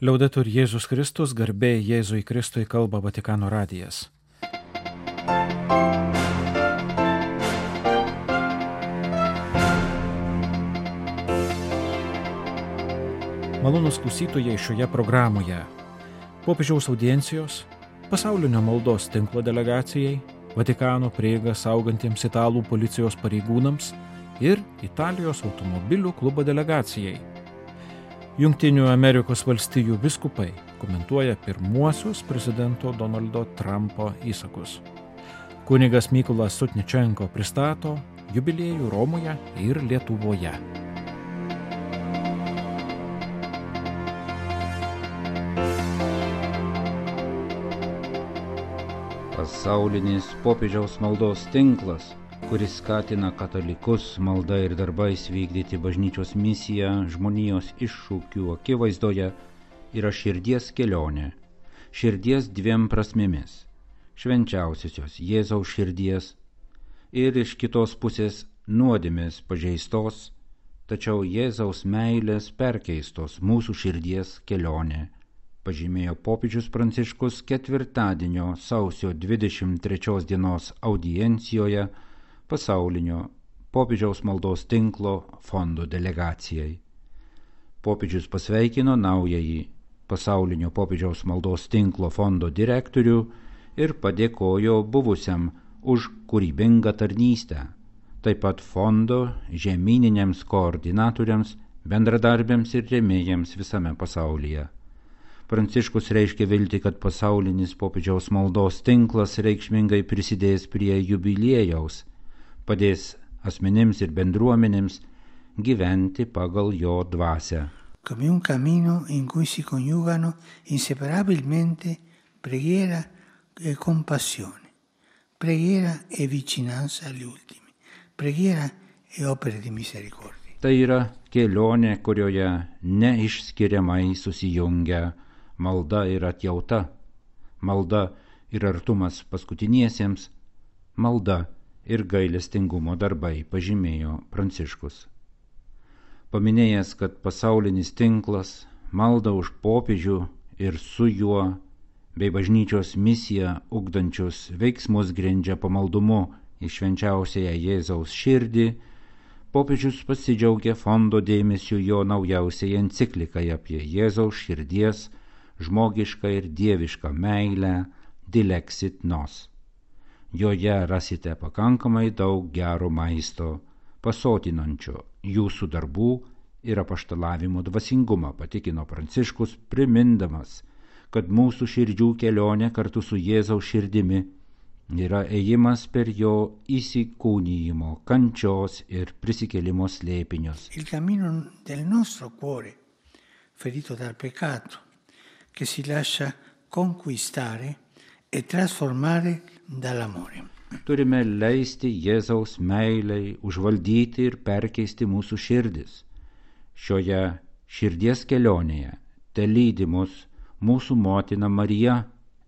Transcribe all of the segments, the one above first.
Liaudetur Jėzus Kristus, garbė Jėzui Kristui, kalba Vatikano radijas. Malonūs klausytojai šioje programoje. Popiežiaus audiencijos, pasaulinio maldos tinklo delegacijai, Vatikano prieigą saugantiems italų policijos pareigūnams ir Italijos automobilių klubo delegacijai. Jungtinių Amerikos valstijų vyskupai komentuoja pirmuosius prezidento Donaldo Trumpo įsakus. Kunigas Mykolas Sutničenko pristato jubiliejų Romoje ir Lietuvoje. Pasaulinis popiežiaus maldos tinklas, kuris skatina katalikus malda ir darbais vykdyti bažnyčios misiją žmonijos iššūkių akivaizdoje, yra širdies kelionė. Širdies dviem prasmėmis – švenčiausiosios Jėzaus širdies ir iš kitos pusės nuodėmės pažeistos, tačiau Jėzaus meilės perkeistos mūsų širdies kelionė, pažymėjo popiežius Pranciškus ketvirtadienio sausio 23 dienos audiencijoje pasaulinio popiežiaus maldos tinklo fondo delegacijai. Popiežius pasveikino naująjį pasaulinio popiežiaus maldos tinklo fondo direktorių ir padėkojo buvusiam už kūrybingą tarnystę, taip pat fondo žemyniniams koordinatoriams, bendradarbiams ir rėmėjams visame pasaulyje. Pranciškus reiškia viltį, kad pasaulinis popiežiaus maldos tinklas reikšmingai prisidės prie jubiliejaus, padės asmenims ir bendruomenėms gyventi pagal jo dvasią. Come un cammino in cui si coniugano inseparabilmente preghiera e compassione, preghiera e vicinanza agli ultimi, preghiera e opere di misericordia. Tai yra kelionė, kurioje neišskiriamai susijungia malda ir atjauta, malda ir artumas paskutiniesiems, malda ir gailestingumo darbai, pažymėjo Pranciškus. Paminėjęs, kad pasaulinis tinklas malda už popiežių ir su juo bei bažnyčios misiją ugdančius veiksmus grindžia pamaldumu į švenčiausiąją Jėzaus širdį, popiežius pasidžiaugė fondo dėmesiu jo naujausiai enciklikai apie Jėzaus širdies žmogišką ir dievišką meilę Dilexit Nos. Joje rasite pakankamai daug gero maisto, pasotinančio jūsų darbų ir apaštalavimo dvasingumą, patikino Pranciškus, primindamas, kad mūsų širdžių kelionė kartu su Jėzaus širdimi yra ėjimas per jo įsikūnijimo, kančios ir prisikėlimo slėpinius. Il cammino del nostro cuore, ferito dal peccato, che si lascia conquistare e trasformare dall'amore. Turime leisti Jėzaus meilei užvaldyti ir perkeisti mūsų širdis. Šioje širdies kelionėje telydi mus mūsų motina Marija,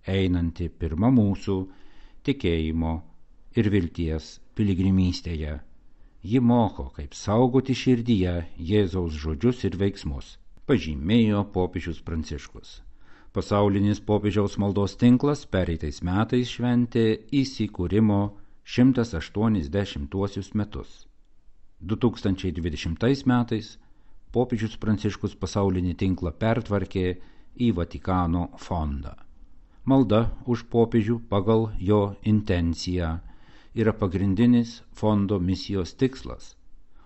einanti pirma mūsų tikėjimo ir vilties piligrimystėje. Ji moko, kaip saugoti širdyje Jėzaus žodžius ir veiksmus, pažymėjo popiežius Pranciškus. Pasaulinis popiežiaus maldos tinklas pereitais metais šventė įsikūrimo 180 metus. 2020 metais popiežius Pranciškus pasaulinį tinklą pertvarkė į Vatikano fondą. Malda už popiežių pagal jo intenciją yra pagrindinis fondo misijos tikslas,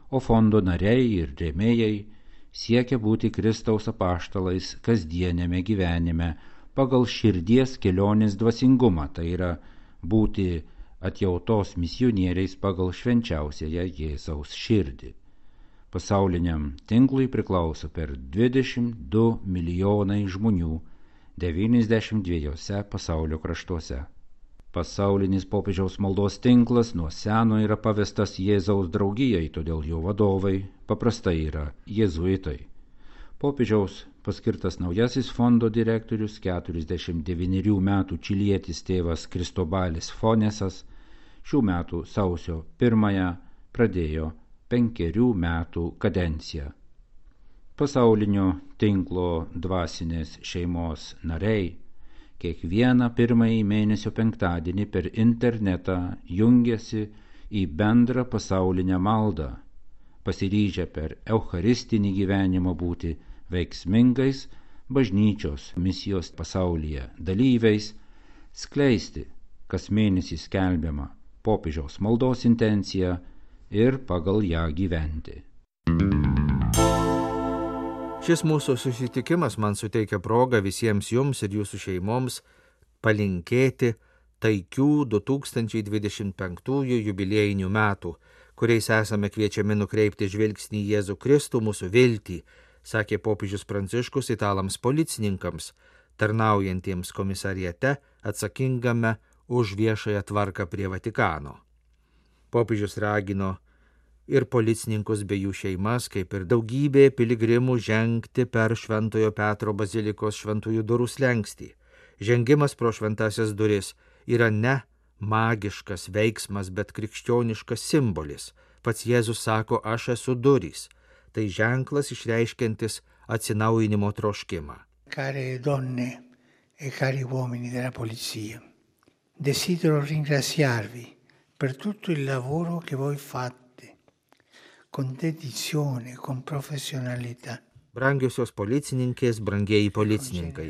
o fondo nariai ir rėmėjai siekia būti Kristaus apaštalais kasdienėme gyvenime pagal širdies kelionės dvasingumą, tai yra būti atjautos misionieriais pagal švenčiausiąją Jėzaus širdį. Pasauliniam tinklui priklauso per 22 milijonai žmonių 92 pasaulio kraštuose. Pasaulinis popiežiaus maldos tinklas nuo seno yra pavestas Jėzaus draugijai, todėl jo vadovai paprastai yra jėzuitai. Popiežiaus paskirtas naujasis fondo direktorius 49 metų čilietis tėvas Kristobalis Fonesas šių metų sausio 1 pradėjo 5 metų kadenciją. Pasaulinio tinklo dvasinės šeimos nariai kiekvieną pirmąjį mėnesio penktadienį per internetą jungiasi į bendrą pasaulinę maldą, pasiryžę per eucharistinį gyvenimą būti veiksmingais bažnyčios misijos pasaulyje dalyviais, skleisti kas mėnesį skelbiamą popiežiaus maldos intenciją ir pagal ją gyventi. Šis mūsų susitikimas man suteikia progą visiems jums ir jūsų šeimoms palinkėti taikių 2025 jubiliejinių metų, kuriais esame kviečiami nukreipti žvilgsnį į Jėzų Kristų, mūsų viltį, sakė popiežius Pranciškus italams policininkams, tarnaujantiems komisariate atsakingame už viešąją tvarką prie Vatikano. Popiežius ragino ir policininkus bei jų šeimas, kaip ir daugybė piligrimų žengti per Šventojo Petro bazilikos šventųjų durų slenkstį. Žengimas pro šventasias duris yra ne magiškas veiksmas, bet krikščioniškas simbolis. Pats Jėzus sako, aš esu durys. Tai ženklas išreiškiantis atsinaujinimo troškimą. Care donne e cari uomini della polizia, desidero ringraziarvi per tutto il lavoro che voi fate con dedizione, con professionalità. Brangiosios policininkės, brangieji policininkai,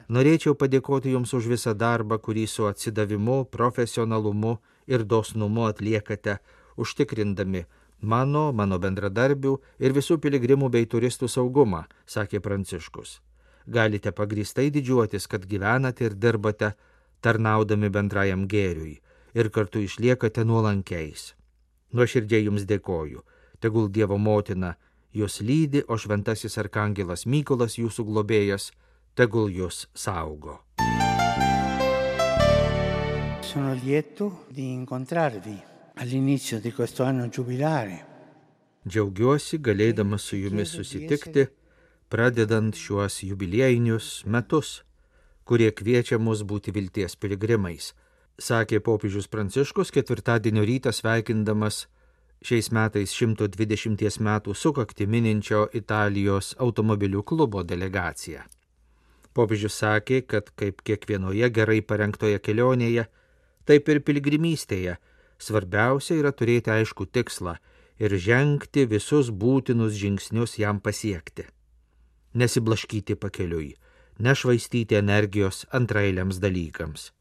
norėčiau padėkoti jums už visą darbą, kurį su atsidavimu, profesionalumu ir dosnumu atliekate, užtikrindami mano bendradarbių ir visų piligrimų bei turistų saugumą, sakė Pranciškus. Galite pagrįstai didžiuotis, kad gyvenate ir dirbate, tarnaudami bendrajam gėriui ir kartu išliekate nuolankiais. Nuoširdžiai jums dėkoju. Tegul Dievo motina jūs lydi, o šventasis arkangelas Mykolas jūsų globėjas, tegul jūs saugo. Sono lieto di incontrarvi all'inizio di questo anno giubilare. Džiaugiuosi galėdamas su jumis susitikti, pradedant šiuos jubiliejinius metus, kurie kviečia mus būti vilties piligrimais, sakė popiežius Pranciškus ketvirtadienio rytą sveikindamas šiais metais 120 metų sukaktį mininčio Italijos automobilių klubo delegaciją. Popiežius sakė, kad kaip kiekvienoje gerai parengtoje kelionėje, taip ir piligrimystėje svarbiausia yra turėti aiškų tikslą ir žengti visus būtinus žingsnius jam pasiekti. Nesiblaškyti pakeliui, nešvaistyti energijos antraeiliams dalykams.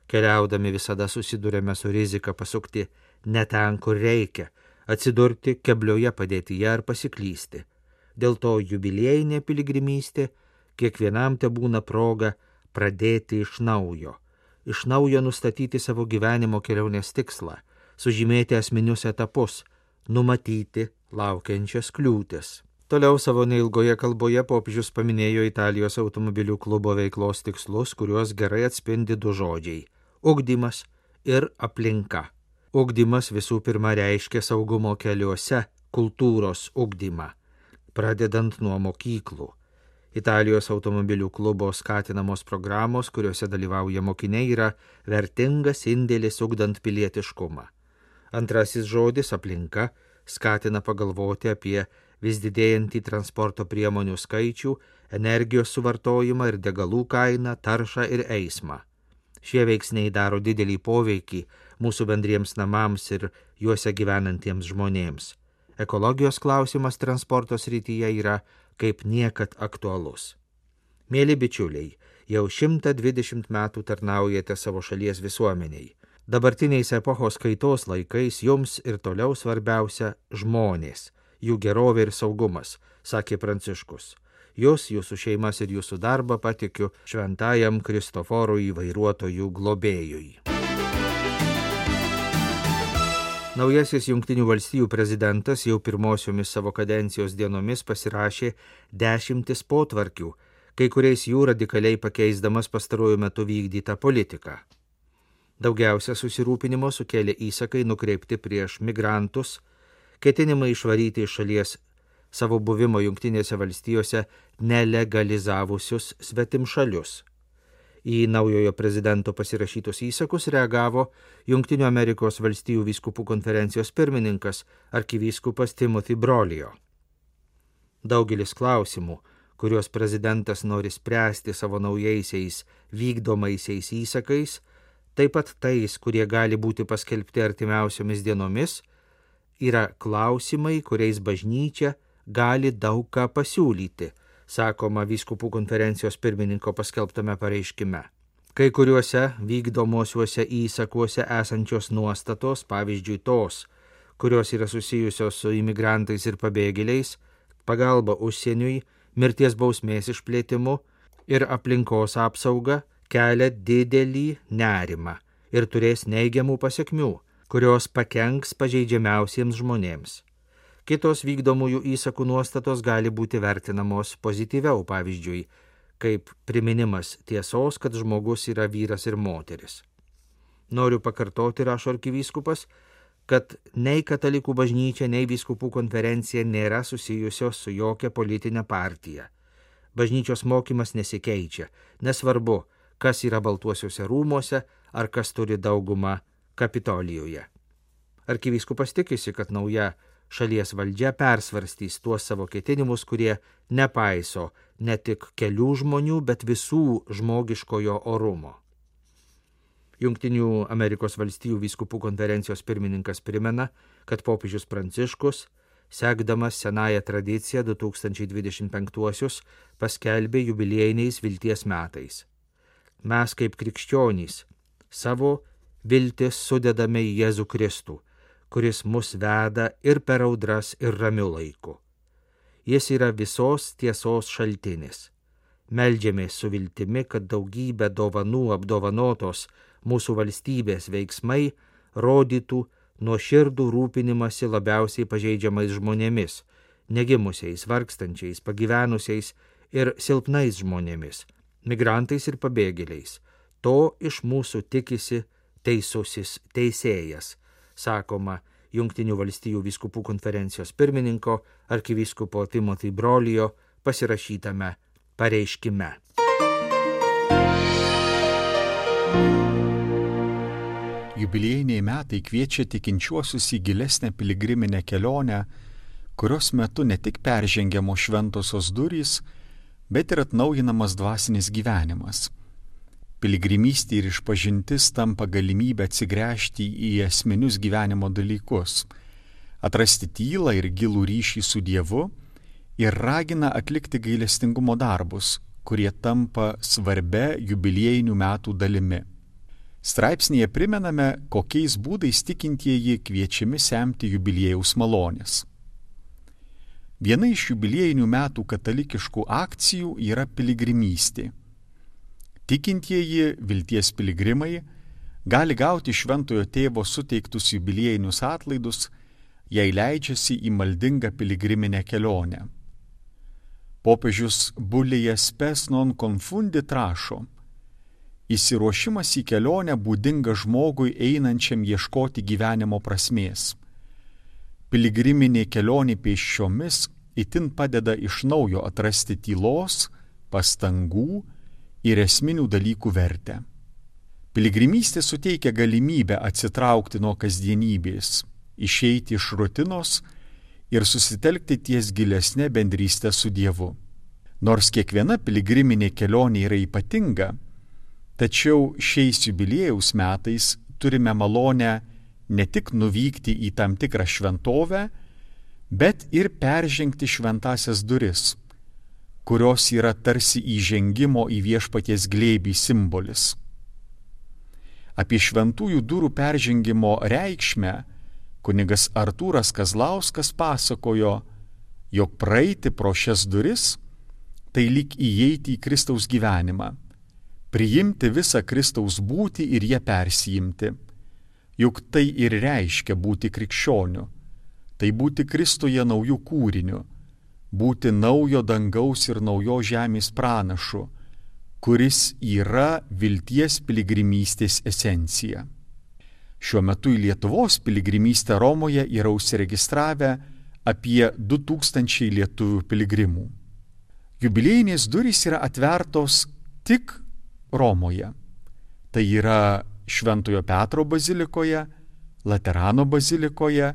Keliaudami visada susidurėme su rizika pasukti ne ten, kur reikia, atsidurti keblioje padėtyje ar pasiklysti. Dėl to jubiliejinė piligrimystė kiekvienam tebūna proga pradėti iš naujo nustatyti savo gyvenimo kelionės tikslą, sužymėti esminius etapus, numatyti laukiančias kliūtis. Toliau savo neilgoje kalboje popiežius paminėjo Italijos automobilių klubo veiklos tikslus, kuriuos gerai atspindi du žodžiai – ugdymas ir aplinka. Ugdymas visų pirma reiškia saugumo keliuose kultūros ugdymą, pradedant nuo mokyklų. Italijos automobilių klubo skatinamos programos, kuriuose dalyvauja mokiniai, yra vertingas indėlis ugdant pilietiškumą. Antrasis žodis aplinka skatina pagalvoti apie vis didėjantį transporto priemonių skaičių, energijos suvartojimą ir degalų kainą, taršą ir eismą. Šie veiksniai daro didelį poveikį mūsų bendriems namams ir juose gyvenantiems žmonėms. Ekologijos klausimas transporto srityje yra kaip niekad aktualus. Mėly bičiuliai, jau 120 metų tarnaujate savo šalies visuomeniai. Dabartiniais epochos kaitos laikais jums ir toliau svarbiausia žmonės, jų gerovė ir saugumas, sakė Pranciškus. Jūs, jūsų šeimas ir jūsų darbą patikiu šventajam Kristoforui vairuotojų globėjui. Naujasis Jungtinių valstijų prezidentas jau pirmosiomis savo kadencijos dienomis pasirašė 10 potvarkių, kai kuriais jų radikaliai pakeisdamas pastaruoju metu vykdytą politiką. Daugiausia susirūpinimo sukėlė įsakai nukreipti prieš migrantus, ketinimai išvaryti iš šalies savo buvimo Jungtinėse valstijose nelegalizavusius svetimšalius. Į naujojo prezidento pasirašytus įsakus reagavo Jungtinių Amerikos valstijų vyskupų konferencijos pirmininkas arkivyskupas Timothy Brolio. Daugelis klausimų, kuriuos prezidentas nori spręsti savo naujaisiais vykdomaisiais įsakais, taip pat tais, kurie gali būti paskelbti artimiausiomis dienomis, yra klausimai, kuriais bažnyčia gali daug ką pasiūlyti, sakoma vyskupų konferencijos pirmininko paskelbtame pareiškime. Kai kuriuose vykdomosiuose įsakuose esančios nuostatos, pavyzdžiui tos, kurios yra susijusios su imigrantais ir pabėgėliais, pagalba užsieniui, mirties bausmės išplėtimu ir aplinkos apsauga, kelia didelį nerimą ir turės neigiamų pasekmių, kurios pakenks pažeidžiamiausiems žmonėms. Kitos vykdomųjų įsakų nuostatos gali būti vertinamos pozityviau, pavyzdžiui, kaip priminimas tiesos, kad žmogus yra vyras ir moteris. Noriu pakartoti, rašo arkivyskupas, kad nei katalikų bažnyčia, nei vyskupų konferencija nėra susijusios su jokia politinė partija. Bažnyčios mokymas nesikeičia, nesvarbu, kas yra Baltuosiuose rūmuose ar kas turi daugumą Kapitolijuje. Arkivyskupas tikisi, kad nauja šalies valdžia persvarstys tuos savo ketinimus, kurie nepaiso ne tik kelių žmonių, bet visų žmogiškojo orumo. Jungtinių Amerikos valstijų vyskupų konferencijos pirmininkas primena, kad popiežius Pranciškus, sekdamas senąją tradiciją 2025 paskelbė jubiliejiniais vilties metais. Mes kaip krikščionys savo viltis sudedame į Jėzų Kristų, kuris mus veda ir per audras ir ramiu laiku. Jis yra visos tiesos šaltinis. Meldžiamės su viltimi, kad daugybė dovanų apdovanotos mūsų valstybės veiksmai rodytų nuoširdų rūpinimąsi labiausiai pažeidžiamais žmonėmis, negimusiais, vargstančiais, pagyvenusiais ir silpnais žmonėmis, migrantais ir pabėgėliais. To iš mūsų tikisi teisusis teisėjas, sakoma Jungtinių valstijų vyskupų konferencijos pirmininko arkivyskupo Timothy Brolijo pasirašytame pareiškime. Jubiliejiniai metai kviečia tikinčiuosius į gilesnę piligriminę kelionę, kurios metu ne tik peržengiamos šventosios durys, bet ir atnaujinamas dvasinis gyvenimas. Piligrimystė ir išpažintis tampa galimybę atsigręžti į esminius gyvenimo dalykus, atrasti tylą ir gilų ryšį su Dievu ir ragina atlikti gailestingumo darbus, kurie tampa svarbia jubiliejinių metų dalimi. Straipsnėje primename, kokiais būdais tikintieji kviečiami semti jubiliejaus malonės. Viena iš jubiliejinių metų katalikiškų akcijų yra piligrimystė. Tikintieji vilties piligrimai gali gauti šventojo tėvo suteiktus jubiliejinius atlaidus, jei leidžiasi į maldingą piligriminę kelionę. Popiežius Bulėjas Spes non confundit rašo: įsiruošimas į kelionę būdinga žmogui einančiam ieškoti gyvenimo prasmės. Piligriminė kelionė pėsčiomis itin padeda iš naujo atrasti tylos, pastangų ir esminių dalykų vertę. Piligrimystė suteikia galimybę atsitraukti nuo kasdienybės, išeiti iš rutinos ir susitelkti ties gilesnė bendrystė su Dievu. Nors kiekviena piligriminė kelionė yra ypatinga, tačiau šiais jubiliejaus metais turime malonę ne tik nuvykti į tam tikrą šventovę, bet ir peržengti šventąsias duris, kurios yra tarsi įžengimo į viešpaties glėbį simbolis. Apie šventųjų durų peržengimo reikšmę kunigas Artūras Kazlauskas pasakojo, jog praeiti pro šias duris tai lyg įeiti į Kristaus gyvenimą, priimti visą Kristaus būtį ir ją persijimti. Juk tai ir reiškia būti krikščioniu, tai būti Kristuje naujų kūriniu, būti naujo dangaus ir naujos žemės pranašu, kuris yra vilties piligrimystės esencija. Šiuo metu į Lietuvos piligrimystę Romoje yra užsiregistravę apie 2000 lietuvių piligrimų. Jubiliejinės durys yra atvertos tik Romoje. Tai yra Šventojo Petro bazilikoje, Laterano bazilikoje,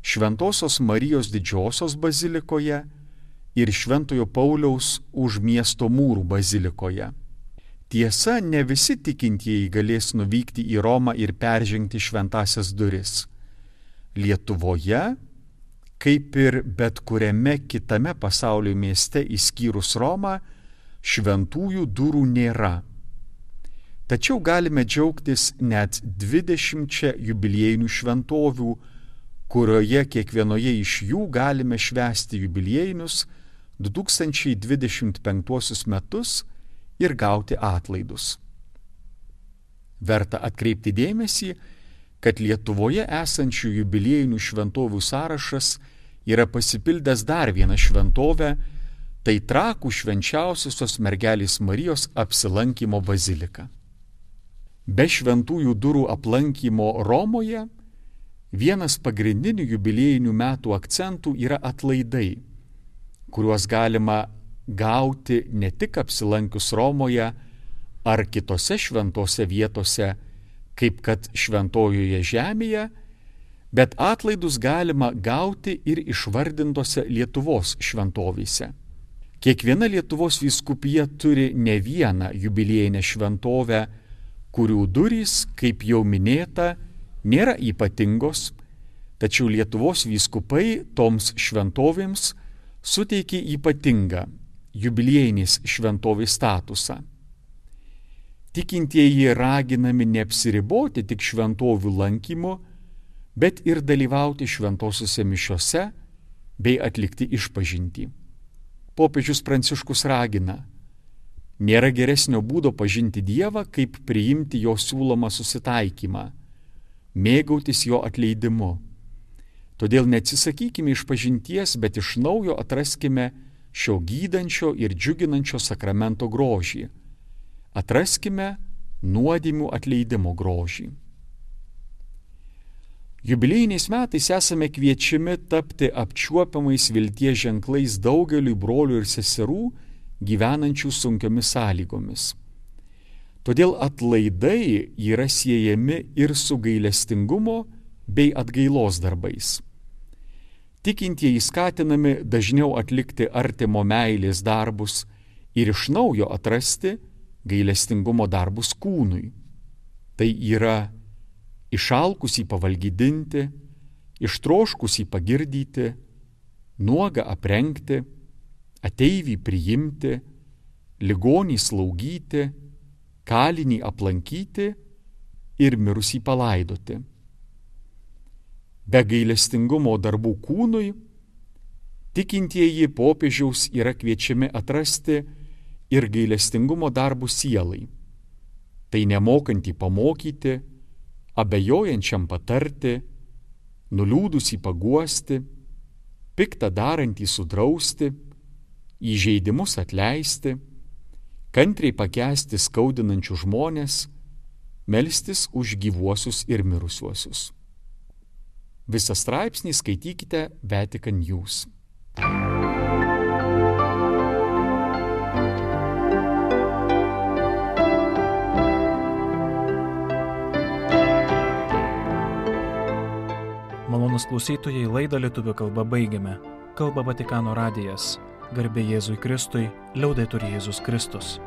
Šventosios Marijos Didžiosios bazilikoje ir Šventojo Pauliaus už miesto mūrų bazilikoje. Tiesa, ne visi tikintieji galės nuvykti į Romą ir peržengti šventasias duris. Lietuvoje, kaip ir bet kuriame kitame pasaulio mieste išskyrus Romą, šventųjų durų nėra. Tačiau galime džiaugtis net 20 jubiliejinių šventovių, kurioje kiekvienoje iš jų galime švęsti jubiliejinius 2025 metus ir gauti atlaidus. Verta atkreipti dėmesį, kad Lietuvoje esančių jubiliejinių šventovių sąrašas yra pasipildęs dar vieną šventovę, tai Trakų švenčiausiosios mergelės Marijos apsilankymo bazilika. Be šventųjų durų aplankymo Romoje vienas pagrindinių jubiliejinių metų akcentų yra atlaidai, kuriuos galima gauti ne tik apsilankius Romoje ar kitose šventose vietose, kaip kad šventojoje žemėje, bet atlaidus galima gauti ir išvardintose Lietuvos šventovėse. Kiekviena Lietuvos vyskupija turi ne vieną jubiliejinę šventovę, kurių durys, kaip jau minėta, nėra ypatingos, tačiau Lietuvos vyskupai toms šventovėms suteikė ypatingą jubiliejinės šventovės statusą. Tikintieji raginami neapsiriboti tik šventovių lankymu, bet ir dalyvauti šventosiuose mišiose bei atlikti išpažintį. Popiežius Pranciškus ragina: nėra geresnio būdo pažinti Dievą, kaip priimti jo siūlomą susitaikymą, mėgautis jo atleidimu. Todėl neatsisakykime išpažinties, bet iš naujo atraskime šio gydančio ir džiuginančio sakramento grožį. Atraskime nuodėmių atleidimo grožį. Jubiliejiniais metais esame kviečiami tapti apčiuopiamais vilties ženklais daugeliui brolių ir seserų, gyvenančių sunkiomis sąlygomis. Todėl atlaidai yra siejami ir su gailestingumo bei atgailos darbais. Tikintieji skatinami dažniau atlikti artimo meilės darbus ir iš naujo atrasti gailestingumo darbus kūnui. Tai yra išalkusį pavalgydinti, ištroškusį pagirdyti, nuogą aprengti, ateivį priimti, ligonį slaugyti, kalinį aplankyti ir mirusį palaidoti. Be gailestingumo darbų kūnui, tikintieji popiežiaus yra kviečiami atrasti ir gailestingumo darbų sielai. Tai nemokantį pamokyti, abejojančiam patarti, nuliūdusį paguosti, piktą darantį sudrausti, įžeidimus atleisti, kantriai pakęsti skaudinančių žmonės, melstis už gyvuosius ir mirusiuosius. Visą straipsnį skaitykite Vatican News. Malonūs klausytojai, laidą lietuvių kalba baigiame. Kalba Vatikano radijas. Garbė Jėzui Kristui, liaudetur Jėzus Kristus.